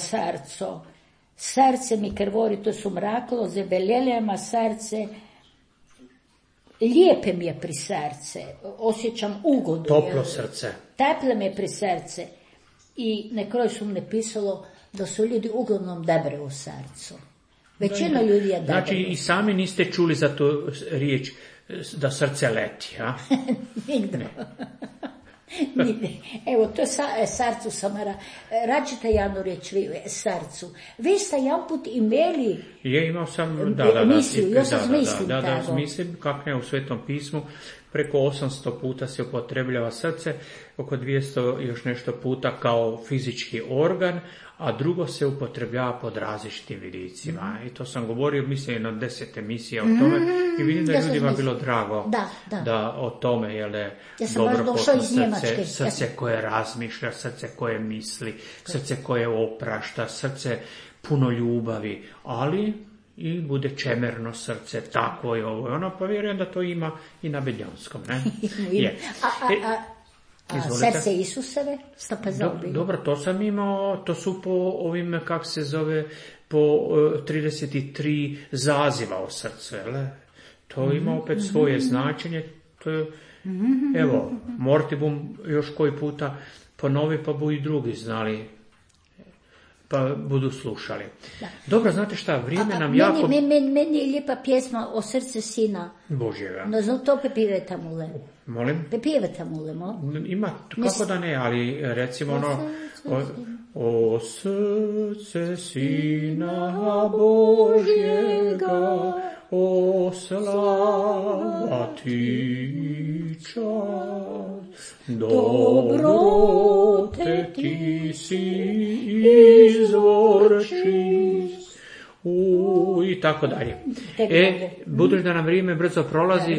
srce mi krvori, to su mraklo, zebelelema srce, lijepe mi je pri srce, osjećam ugodu. Toplo srce. Teple mi je pri srce. I na kraju su mi napisalo da su ljudi uglavnom dobre u srcu. Većina ljudi je dobra. Znači i sami niste čuli za tu riječ da srce leti, a? Nigde. Evo, to je srcu samara. Račite jednu riječ srcu. Vi ste jedan put imeli imao sam, emisiju, ja sam mislim tako. Mislim, kak ne u Svetom pismu, preko 800 puta se upotrebljava srce, oko 200 još nešto puta kao fizički organ, a drugo se upotrebljava pod različitim vidicima. I to sam govorio, mislim, na 10 emisija o tome i vidim da je ljudima bilo drago da o tome, je dobro potno srce koje razmišlja, srce koje misli, srce koje oprašta, srce puno ljubavi, ali i bude čemerno srce, tako je ovo i ono, pa vjerujem da to ima i na Bednjanskom, ne? Je. A srce Isusove? Dobro, to sam imao, to su po ovim, kak se zove, po 33 zaziva o srcu, jel? To ima opet svoje značenje, to je, evo, morti bom još koji puta ponovi, pa bu i drugi znali, pa budu slušali. Da. Dobro, znate šta, vrijeme nam jako... Meni je lijepa pjesma o srce sina Božjega. No, znam to pepivete mule. Molim? Pepivete mule, mo? Ima, kako da ne, ali recimo ono... O srce sina Božjega, o slava ti čas, dobrote ti si izvor čist. I tako dalje. Budući da nam vrijeme brzo prolazi,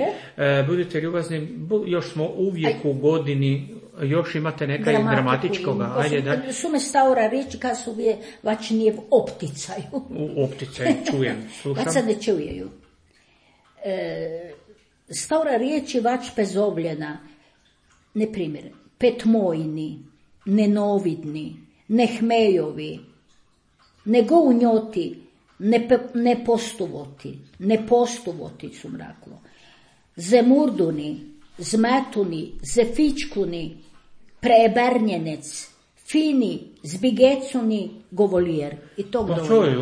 budite ljubazni, još smo uvijek u godini, još imate nekaj dramatičkoga. Ajde, da. Su me staura reći kad su je vač nije v opticaju. U opticaju, čujem, slušam. Vač se ne čujeju. Staura riječi vač pezovljena, ne primjer, petmojni, nenovidni, nehmejovi, nego unjoti, ne postuvoti su mraklo, zemurduni, zmetuni, zefičkuni, preebrnjenec, fini, zbigecuni, govolijer. I to pa to je,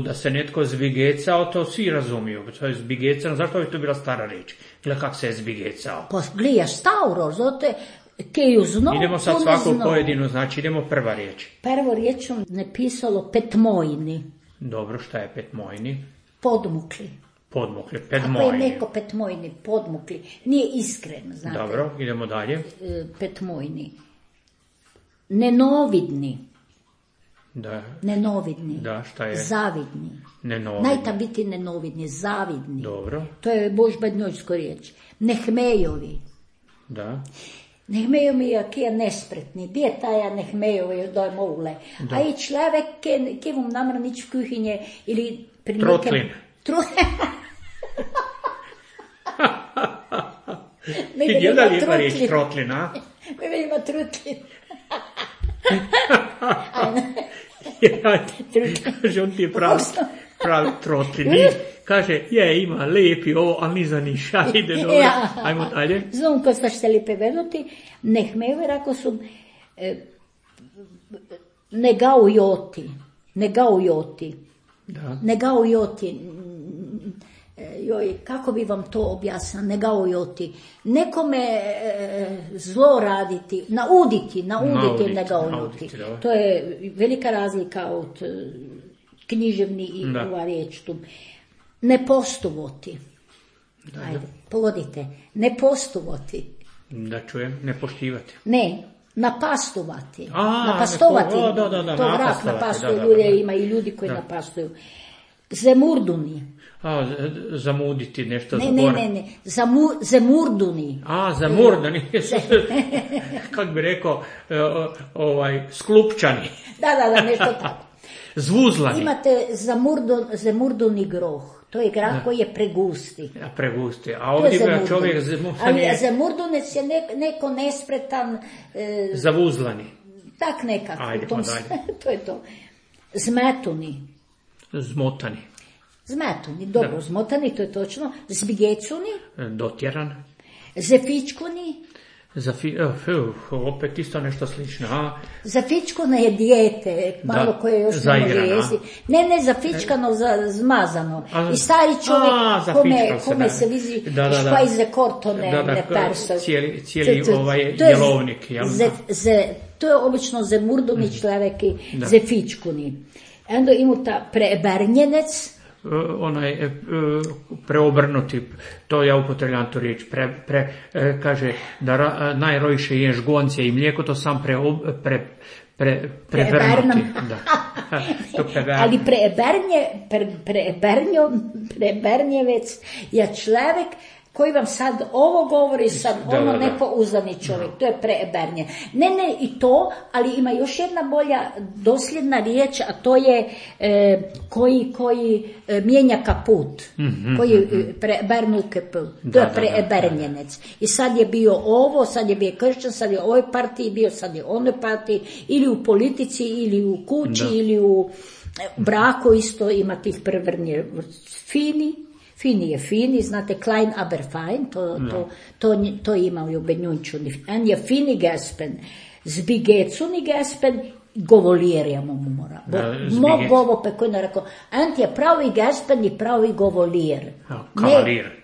da se netko zbigecao, to svi razumiju. To je zbigecano, zašto bi to bila stara riječ? Gle kak se je zbigecao. Pa gleda stauro, zote, keju znao. Idemo sad svaku pojedinu, znači idemo prva riječ. Prvo riječ sam napisalo petmojni. Dobro, šta je petmojni? Podmukli. Podmukli, petmojni. Ako je neko petmojni, podmukli, nije iskren, znate. Dobro, idemo dalje. Petmojni. Nenovidni. Da. Nenovidni. Da, šta je? Zavidni. Nenovidni. Najta biti nenovidni, zavidni. Dobro. To je bož bednjojsko riječ. Nehmejovi. Da. Nehmejovija, ki je nespretni, gdje je taja Nehmejovija dojmovle. A i človek, ki vam namra nič v kuhinje, ili pri Trotlin. Ti gledali ima riječ trotlin, a? Mi ima trutlin. Kaže, on ti je pravi trotlin. Kaže, ima lepi ovo, ali ni za niša, ide dobro. Ajmo dalje. Znam, ko ste šteli pevenuti, Nehmejove rako su negaujoti. Joj, kako bi vam to objasnila, negaujoti. Nekome zlo raditi, nauditi negaujoti. To je velika razlika od književni i ova riječ tu. Ne postovati. Ajde, povodite. Ne postovati. Da čujem, ne poštivati. Ne, napastovati. Napastovati. To vrat napastuju ljude, ima i ljudi koji napastuju. Zemurduni. Zamuditi nešto. Ne. Zemurduni. Zamurdani. Kako bi rekao, sklupčani. Da, nešto tako. Zvuzlani. Imate zemurduni groh. To je grah koji je pregusti. Pregusti. A ovdje ima čovjek ali zemurdunec je neko nespretan. Zavuzlani. Tak nekako. Ajde, pa dalje. To je to. Zmetuni. Zmetuni, dobro, zmotani, to je točno. Zbigecuni. Dotjeran. Zefičkuni. Opet isto nešto slično. Zafičkano je dijete, malo koje još ne može jesti. Ne, zafičkano, zmazano. I stari čovjek kome se vizi špajze korto ne perso. Cijeli jelovnik. To je obično zemurduni človek i zefičkuni. Onda ima ta prebrnjenec. Onaj preobrnuti, to ja upotrebljam tu riječ, kaže da najrojše ješ gonce i mlijeko, to sam prebrnuti. Ali prebrnjevec je človek koji vam sad ovo govori, sad ono nepouzdani čovjek, to je prebrnje. Ne, i to, ali ima još jedna bolja dosljedna riječ, a to je koji mijenja kaput, koji prebrnu kaput, to je prebrnjenec. I sad je bio ovo, sad je bio kršćan, sad je u ovoj partiji bio, sad je u onoj partiji, ili u politici, ili u kući, ili u braku isto ima tih prebrnje. Fini je fini, znate, klein aber fein, to ima u Benjunčuni. En je fini gespen, zbigecuni gespen, govolirjamo mu mora. Mog bovo pekoj ne rekao, en je pravi gespen i pravi govolir. Kavalir.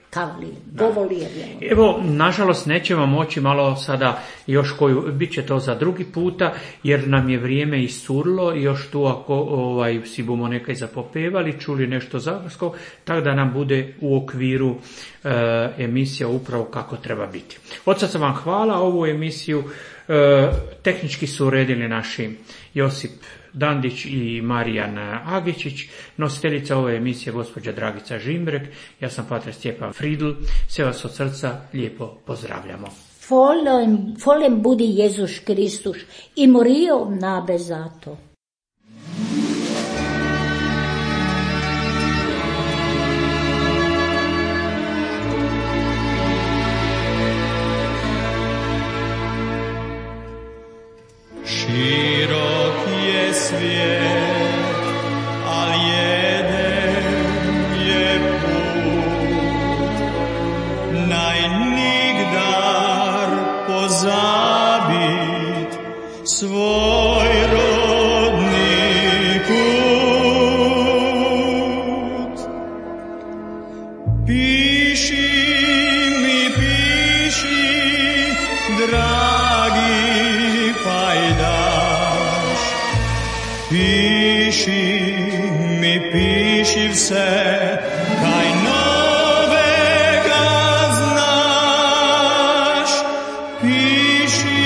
Govolir. Evo, nažalost, nećemo moći malo sada još koju, bit će to za drugi puta, jer nam je vrijeme iscurlo i još tu ako si bomo nekaj zapopevali, čuli nešto zavrsko, tako da nam bude u okviru emisija upravo kako treba biti. Od sad sam vam hvala, ovu emisiju tehnički su uredili naši Josip Dandić i Marijan Agičić, nositeljica ove emisije gospođa Dragica Žimbrek, ja sam pater Stjepan Fridl, sve vas od srca lijepo pozdravljamo. Folem budi Jezus Kristus i morio nabe zato. Širok je svijet, al jeden je put, najnigdar pozabit svoj rodni kut. Piši mi, dragi pajdaš, piši vse, kaj novega znaš. Piši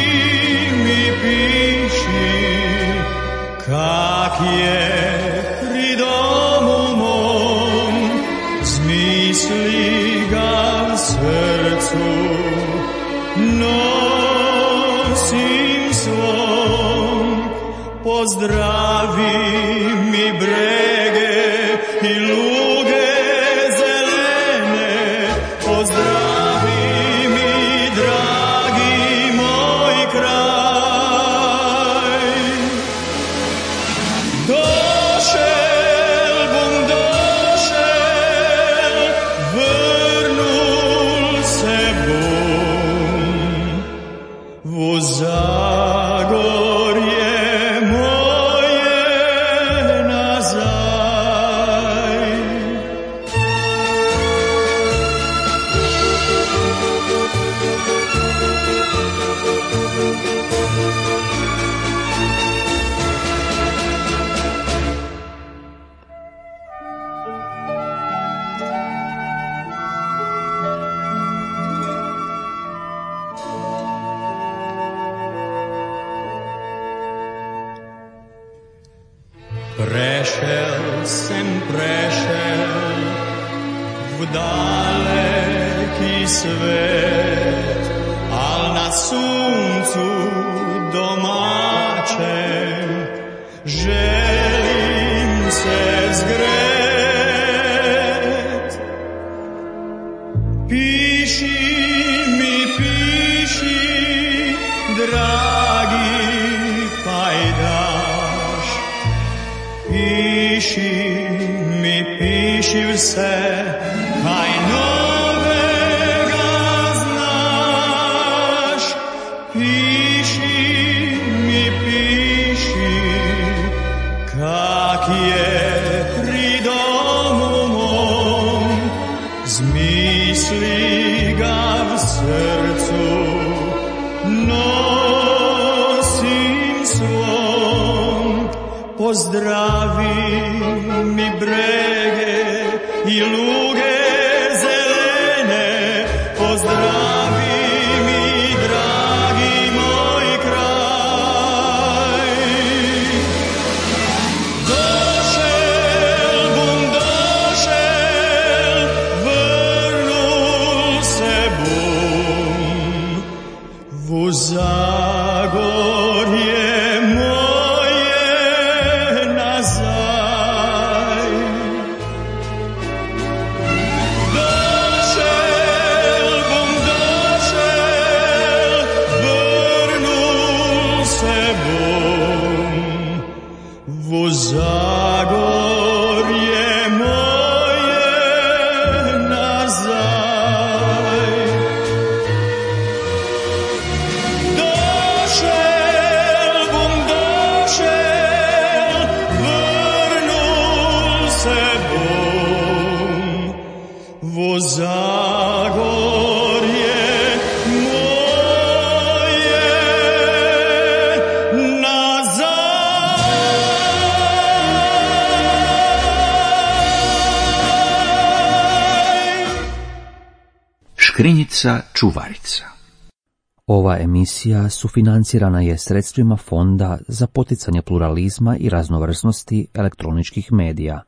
mi, kak je pri domu mom, zmisli ga v srcu, no pozdravi mi brege i luge zelene, pozdravi mi dragi moj kraj. Došel bum, došel, vrnul se bum, u Zagorje moje nazaj. Prešel sem, prešel v daleki svet, al na suncu domačem želim se zgret. Piši mi, piši, dragi pajdaš, piši mi, piši vse, kaj novega znaš. Piši mi, piši, kak je pri domu mom, zmisli ga v srcu, nosim svom. Pozdravi mi brege i luge zelene, pozdravi mi dragi moj kraj. Došel bum, došel, vrnul se bum, u Zagorje Zagorje moje nazaj. Došel bum, došel, vrnul se bum, v Zagorje moje nazaj. Škrinjica čuvarica. Ova emisija sufinancirana je sredstvima Fonda za poticanje pluralizma i raznovrsnosti elektroničkih medija.